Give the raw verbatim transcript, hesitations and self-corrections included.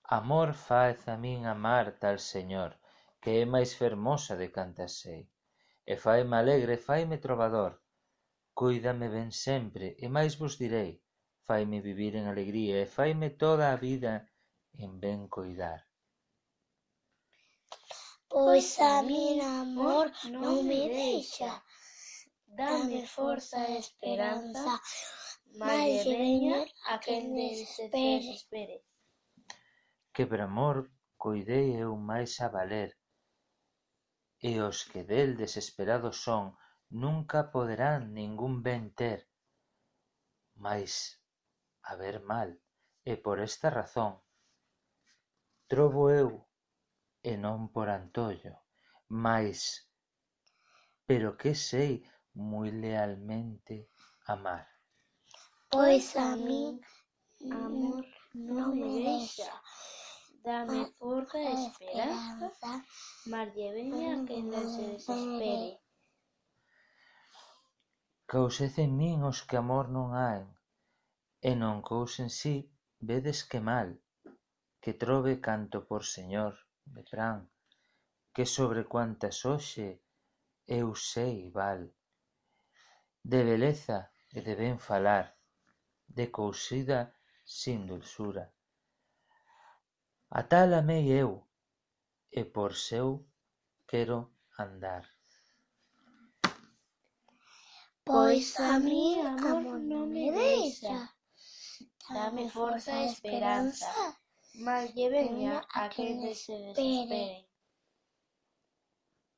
Amor faz a min amar tal señor, que é máis fermosa de cantas sei, e faime alegre, faime trovador, cóidame ben sempre, e máis vos direi, faime vivir en alegría, e faime toda a vida en ben coidar. Pois a min amor non me deixa, dame forza e esperanza, máis lle veña a quen desespere. Que por amor coidei eu máis a valer, e os que del desesperados son nunca poderán ningún ben ter, mais haber mal, e por esta razón trovo eu, e non por antollo, mais pero que sei moi lealmente amar. Pois a min amor non me deixa, dame forza e esperanza, máis lle veña a quen se desespere. Causez en min os que amor non hai, e non cousen si, vedes que mal, que trove canto por señor me pran, que sobre cuantas hoxe eu sei val, de beleza e de ben falar, de cousida sin dulzura. A tal amei eu, e por seu quero andar. Pois a min amor non me deixa, dame forza e esperanza, máis lle veña a quen se desespere.